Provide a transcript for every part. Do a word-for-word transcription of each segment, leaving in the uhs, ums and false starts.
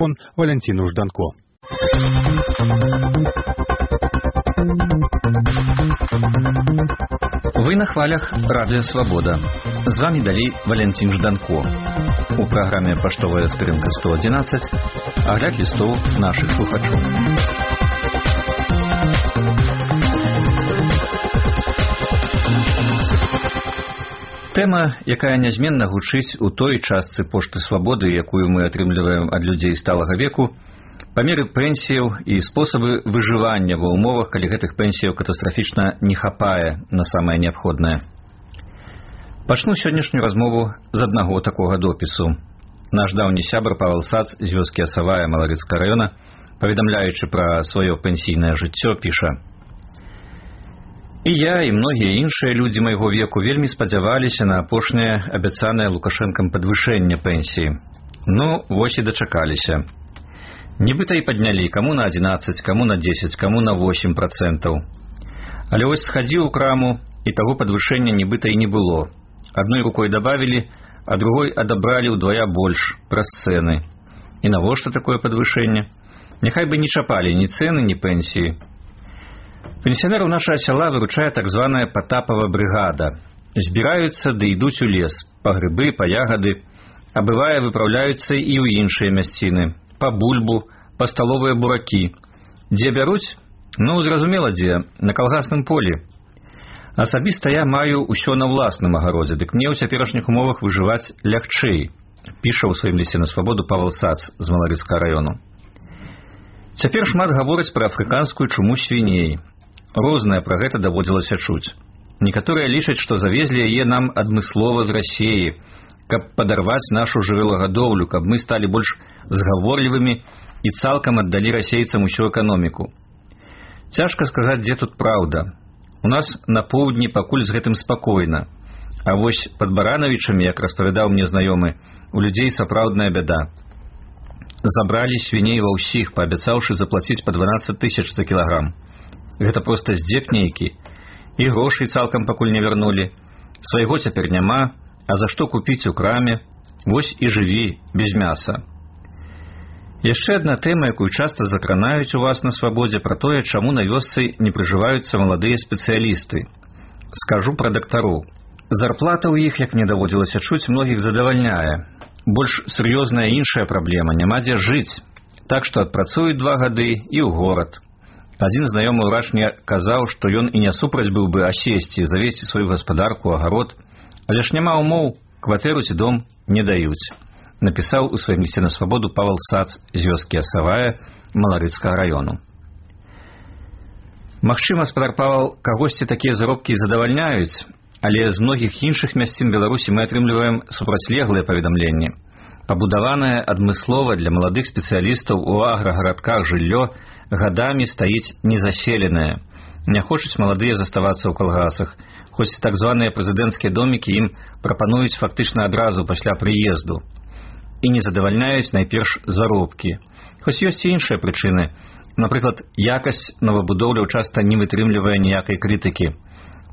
Он Валентину Жданко. Вы на хвалях Радио Свобода. З вами далей Валентин Жданко. У праграме «Паштовая скрынка сто одиннадцать» агляд лістоў нашых слухачоў. Тэма, якая нязменна гучыць у той частцы пошты свабоды, якую мы атрымліваем ад людзей сталага веку, памеры пенсіяў і спосабы выжывання ва ўмовах, калі гэтых пенсіяў катастрафічна не хапае на самае неабходнае. Пачну сённяшнюю размову з аднаго такога допісу. Наш даўні сябар Павел Сац з вёскі Асавая Маларыцкага раёна, паведамляючы пра сваё пенсійнае жыццё, піша: «І я, і многія іншыя людзі майго веку вельмі спадзяваліся на апошняе абяцанае Лукашэнкам падвышэнне пенсіі. Ну, вось і дачакаліся. Нібыта і паднялі, каму на адзінаццаць, каму на дзесяць, каму на восемь працэнтаў. Але вось схадзіў у краму, і таго падвышэння нібыта і не было. Адной рукой дабавілі, а другой адабралі ўдвая больш праз цэны. І навошта такое падвышэнне? Няхай бы не чапалі ні цэны, ні пенсіі. Пенсіянераў нашага сяла выручае так званая Патапава брыгада. Збіраюцца ды ідуць у лес, па грыбы, па ягады, а бывае выпраўляюцца і ў іншыя мясціны, па бульбу, па сталовыя буракі. Дзе бяруць? Ну, зразумела дзе, на калгасным полі. Асабіста я маю ўсё на ўласным агародзе, дык мне ў цяперашніх умовах выжываць лягчэй, піша ў сваім лісце на свабоду Павел Сац з Маларыцкага раёну. Цяпер шмат гавораць пра афрыканскую чуму свіней. Рознае пра гэта даводзілася чуць. Некаторыя лічаць, што завезлі яе нам адмыслова з Расіі, каб падарваць нашу жывёлагадоўлю, каб мы сталі больш згаворлівымі і цалкам аддалі расейцам усю эканоміку. Цяжка сказаць, дзе тут праўда. У нас на поўдні пакуль з гэтым спакойна. А вось пад Баранавічамі, як распавядаў мне знаёмы, у людзей сапраўдная бяда. Забралі свіней ва ўсіх, паабяцаўшы заплаціць па дванаццаць тысяч за кілаграм. Гэта проста здзек нейкі. І грошай цалкам пакуль не вярнулі. Свайго цяпер няма, а за што купіць у краме? Вось і жыві без мяса. Яшчэ адна тэма, якую часта закранаюць у вас на свабодзе, пра тое, чаму на вёсцы не прыжываюцца маладыя спецыялісты. Скажу пра дактароў. Зарплата ў іх, як мне даводзілася чуць, многіх задавальняе. Больш сур'ёзная іншая праблема, няма дзе жыць. Так што адпрацуюць два гады і ў горад. Адзін знаёмы ўрач мне казаў, што ён і не супраць быў бы асесці, завесці сваю гаспадарку, агарод, але ж няма умоў, кватэру ці дом не даюць. Напісаў у сваім лісце на свабоду Павел Сац з вёскі Асавая Маларыцкага раёну. Магчыма, спадар Павел, кагосьці такія заробкі задавальняюць, але з многіх іншых мясцін Беларусі мы атрымліваем супрацьлеглыя паведамленні. Пабудаванае адмыслова для маладых спецыялістаў у аграгарадках жыллё гадамі стаіць незаселенае. Не хочуць маладыя заставацца ў калгасах, хоць так званыя прэзідэнцкія домікі ім прапануюць фактычна адразу пасля прыезду. І не задавальняюць найперш заробкі. Хоць ёсць і іншыя прычыны. Напрыклад, якасць новабудоўляў часта не вытрымлівае ніякай крытыкі.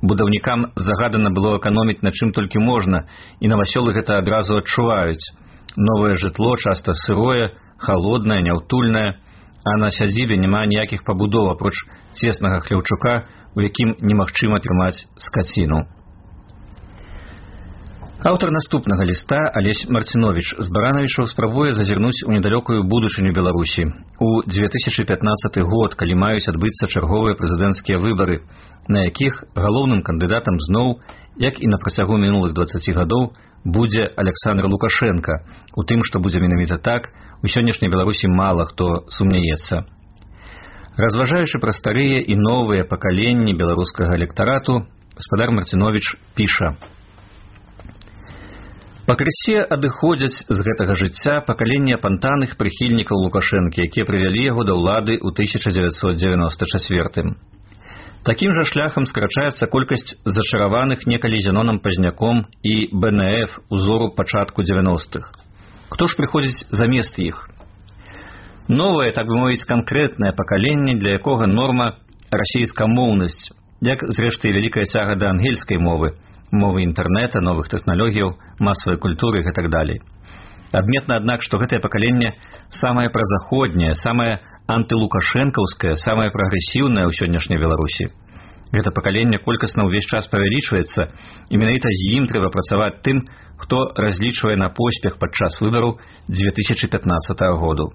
Будаўнікам загадана было эканоміць на чым толькі можна, і навасёлы гэта адразу адчуваюць. Новае жытло часта сырое, халоднае, няўтульнае, а на сядзібе няма ніякіх пабудоў, апроч цеснага хляўчука, у якім немагчыма трымаць скаціну. Аўтар наступнага ліста, Алесь Марціновіч з Баранавічаў, спрабуе зазірнуць у недалёкую будучыню Беларусі. У дзве тысячы пятнаццаты год, калі маюць адбыцца чарговыя прэзідэнцкія выбары, на якіх галоўным кандыдатам зноў, як і на працягу мінулых дваццаці гадоў, будзе Аляксандр Лукашенка. У тым, што будзе менавіта так, у сённяшняй Беларусі мала хто сумняецца. Разважаючы пра старыя і новыя пакаленні беларускага электарату, спадар Марціновіч піша: «Пакрысе адыходзяць з гэтага жыцця пакаленне апантаных прыхільнікаў Лукашэнкі, якія прывялі яго да ўлады ў тысяча дзевяцьсот дзевяноста чацвёртым. Такім жа шляхам скрачаецца колькасць зачараваных некалі Зенонам Пазняком і Бэ Эн Эф узору пачатку дзевяностых. Хто ж прыходзіць замест іх? Новае, так бы мовіць, канкрэтнае пакаленне, для якога норма расійскамоўнасць, як, зрэшты, вялікая цяга да ангельскай мовы, мовы інтэрнэта, новых тэхналогіяў, масавай культуры і так далей. Адметна, аднак, што гэтае пакаленне самае празаходняе, самае антылукашэнкаўскае, самае прагрэсіўнае ў сённяшняй Беларусі. Гэта пакаленне колькасна ўвесь час павялічваецца, і менавіта з ім трэба працаваць тым, хто разлічвае на поспех падчас выбараў дзве тысячы пятнаццатага году.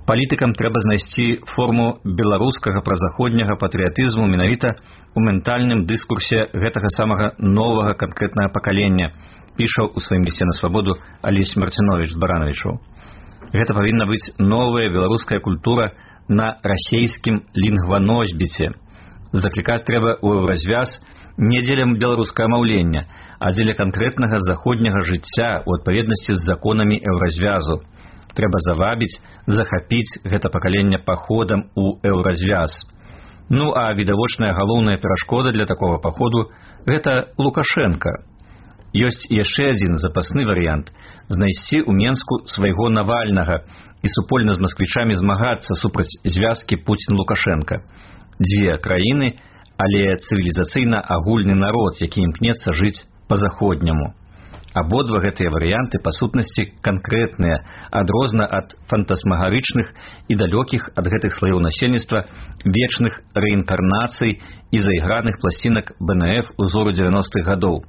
Палітыкам трэба знайсці форму беларускага празаходняга патрыятызму менавіта ў ментальным дыскурсе гэтага самага новага канкрэтнага пакалення, піша ў сваім лісце на свабоду Алесь Марціновіч з Баранавічаў. Гэта павінна быць новая беларуская культура на расейскім лінгваносьбіце. Заклікаць трэба ў еўразвяз не дзеля беларускага маўлення, а дзеля канкрэтнага заходняга жыцця ў адпаведнасці з законамі еўразвязу. Трэба завабіць, захапіць гэта пакаленне паходам у еўразвяз. Ну а відавочная галоўная перашкода для такога паходу – гэта Лукашенка. Ёсць яшчэ адзін запасны варыянт – знайсці ў Менску свайго Навальнага і супольна з масквічамі змагацца супраць звязкі Пуцін-Лукашенка. Дзве краіны, але цывілізацыйна агульны народ, які імкнецца жыць па-заходняму. Абодва гэтыя варыянты па сутнасці канкрэтныя, адрозна ад фантасмагарычных і далёкіх ад гэтых слаёў насельніцтва вечных рэінкарнацый і зайграных пласцінак бэ эн эф узору дзевяностых гадоў.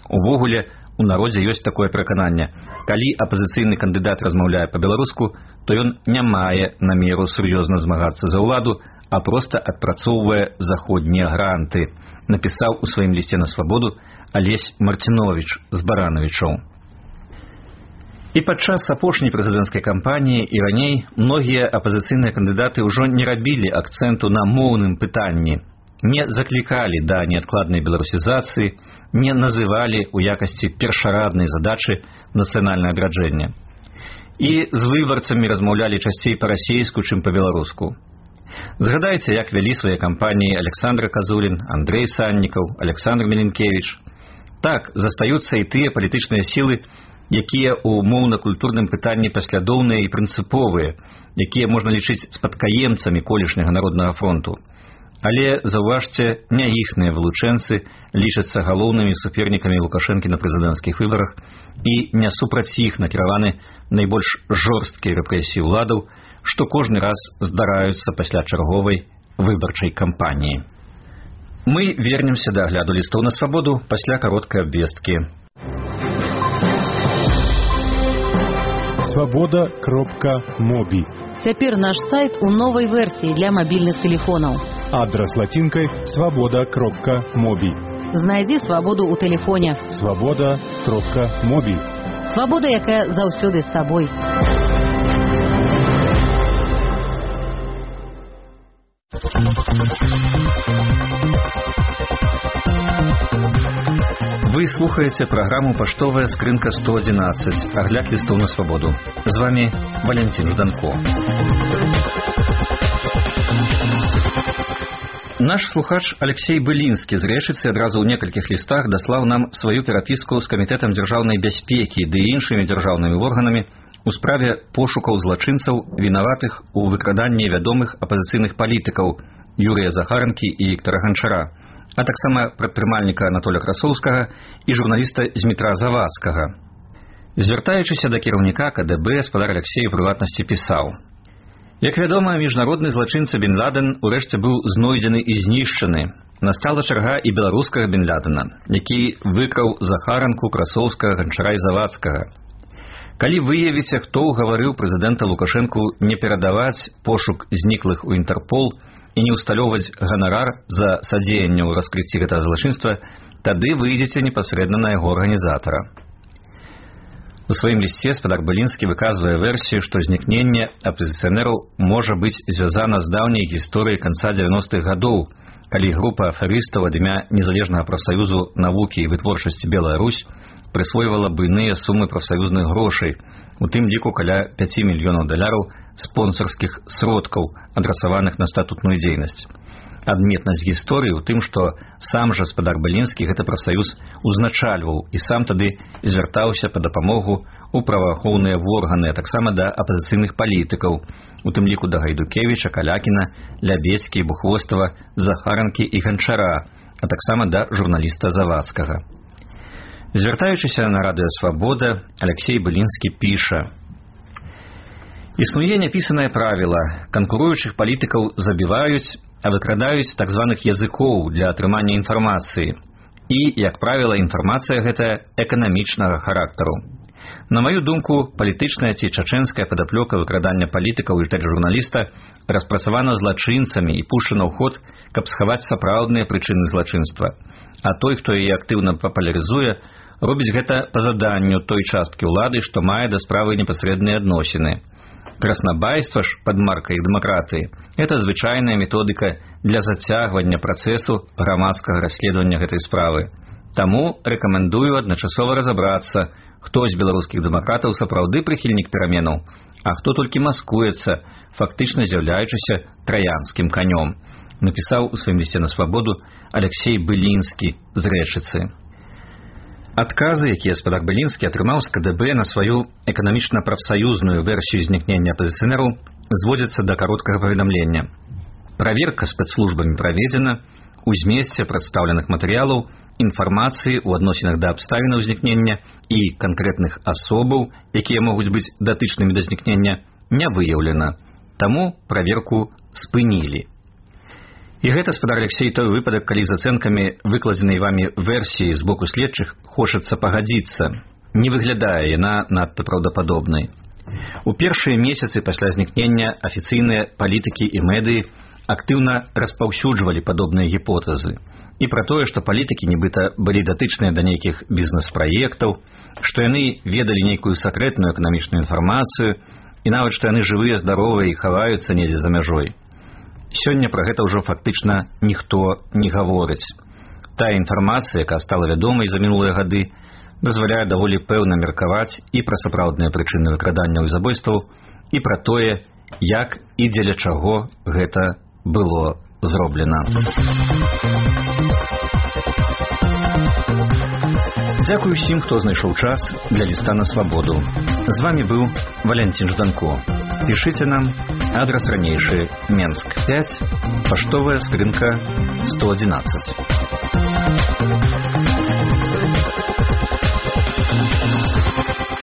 Увогуле, у народзе ёсць такое перакананне. Калі апазіцыйны кандыдат размаўляе па-беларуску, то ён не мае намеру сур'ёзна змагацца за ўладу, а проста адпрацоўвае заходнія гранты, напісаў у сваім лісце на свабоду Алесь Марціновіч з Баранавічаў. І падчас апошняй прэзідэнцкай кампаніі і раней многія апазіцыйныя кандыдаты ўжо не рабілі акцэнту на моўным пытанні, не заклікалі да неадкладнай беларусізацыі, не называлі ў якасці першараднай задачы нацыянальнае адраджэнне. І з выбарцамі размаўлялі часцей па-расейску, чым па-беларуску. Згадайце, як вялі свае кампаніі Александр Казулін, Андрэй Саннікаў, Александр Меленкевіч. Так, застаюцца і тыя палітычныя сілы, якія ў моўна-культурным пытанні паслядоўныя і прынцыповыя, якія можна лічыць спадкаемцамі колішняга народнага фронту. Але, заўважце, не іхныя вылучэнцы лічацца галоўнымі супернікамі Лукашэнкі на прэзідэнцкіх выбарах і не супраць іх накіраваны найбольш жорсткія рэпрэсіі ўладаў, што кожны раз здараюцца пасля чарговай выбарчай кампаніі. Мы вернемся да агляду лістоў на свабоду пасля кароткай абвесткі. свобода кропка моби. Цяпер наш сайт у новай версіі для мабільных тэлефонаў. Адрес латинкой свобода кропка моби. Знайдзі свабоду ў тэлефоне. свобода кропка моби. Свабода, якая заўсёды з табой. Вы слухаеце праграму «Паштовая скрынка сто одиннадцать», агляд лістоў на свабоду. З вами Валентин Жданко. Наш слухач Алексей Былінскі з Рэчыцы адразу ў некалькіх лістах даслаў нам сваю перапіску з камітэтам дзяржаўнай бяспекі ды іншымі дзяржаўнымі органамі у справе пошукаў злачынцаў, вінаватых у выкраданні вядомых апазіцыйных палітыкаў Юрыя Захаранкі і Віктара Ганчара, а таксама прадпрымальніка Анатоля Красоўскага і журналіста Змітра Завадскага. Звяртаючыся да кіраўніка ка дэ бэ, спадар Алексей у прыватнасці пісаў: «Як вядома, міжнародны злачынца Бен Ладен урэшце быў знойдзены і знішчаны. Настала чарга і беларускага Бен Ладена, які выкраў Захаранку, Красоўскага, Ганчара і Завадскага. Калі выявіце, хто ўгаварыў прэзідэнта Лукашэнку не перадаваць пошук зніклых у Інтэрпол і не ўсталёўваць ганарар за садзеянне ў раскрыцці гэтага злачынства, тады выйдзеце непасрэдна на яго арганізатара». У сваім лісце спадар Былінскі выказвае версію, што знікненне апазіцыянераў можа быць звязана з даўняй гісторыяй канца дзевяностых гадоў, калі група аферыстаў ад імя Незалежнага прафсаюзу навукі і вытворчасці «Белая Русь» прысвойвала буйныя сумы прафсаюзных грошай, у тым ліку каля пяці мільёнаў даляраў спонсарскіх сродкаў, адрасаваных на статутную дзейнасць. Адметнасць гісторыі ў тым, што сам жа спадар Былінскі гэты прафсаюз узначальваў і сам тады звяртаўся па дапамогу ў праваахоўныя органы, а таксама да апазіцыйных палітыкаў, у тым ліку да Гайдукевіча, Калякіна, Лябецкі, Бухвостава, Захаранкі і Ганчара, а таксама да журналіста Завадскага. Звяртаючыся на радыё «Свабода», Алексей Былінскі піша: «Існуе няпісанае правіла. Канкуруючых палітыкаў забіваюць, а выкрадаюць так званых языкоў для атрымання інфармацыі. І, як правіла, інфармацыя гэтая эканамічнага характару. На маю думку, палітычная ці чачэнская падаплёка выкрадання палітыкаў і журналіста распрацавана злачынцамі і пушчана ў ход, каб схаваць сапраўдныя прычыны злачынства. А той, хто яе актыўна папулярызуе, робіць гэта па заданню той часткі ўлады, што мае да справы непасрэдныя адносіны. Краснабайства ж пад маркай дэмакратыі – гэта звычайная методыка для зацягвання працэсу грамадскага расследавання гэтай справы. Таму рэкамендую адначасова разабрацца, хто з беларускіх дэмакратаў сапраўды прыхільнік пераменаў, а хто толькі маскуецца, фактычна з'яўляючыся траянскім канём», напісаў у сваім лісце на «Свабоду» Алексей Былінскі з Рэчыцы. Адказы, якія спадар Былінскі атрымаў з ка дэ бэ на сваю эканамічна-прафсаюзную версію знікнення апазіцыянераў, зводзяцца да кароткага паведамлення. Праверка спецслужбамі праведзена, у змесце прадстаўленых матэрыялаў інфармацыі ў адносінах да абставінаў знікнення і канкрэтных асобаў, якія могуць быць датычнымі да знікнення, не выяўлена. Таму праверку спынілі. І гэта, спадар Алексей, той выпадак, калі з ацэнкамі выкладзенай вамі версіі з боку следчых хочацца пагадзіцца. Не выглядае яна надта праўдападобнай. У першыя месяцы пасля знікнення афіцыйныя палітыкі і медыі актыўна распаўсюджвалі падобныя гіпотэзы. І пра тое, што палітыкі нібыта былі датычныя да нейкіх бізнес-праектаў, што яны ведалі нейкую сакрэтную эканамічную інфармацыю, і нават што яны жывыя, здаровыя і хаваюцца недзе за мяжой. Сёння пра гэта ўжо фактычна ніхто не гаворыць. Тая інфармацыя, якая стала вядомай за мінулыя гады, дазваляе даволі пэўна меркаваць і пра сапраўдныя прычыны выкрадання і забойстваў, і пра тое, як і дзеля чаго гэта было зроблена. Дзякую ўсім, хто знайшоў час для ліста на «Свабоду». З вамі быў Валянцін Жданко. Пішыце нам, адрас ранейшы, Менск пяць, паштовая скрынка сто адзінаццаць.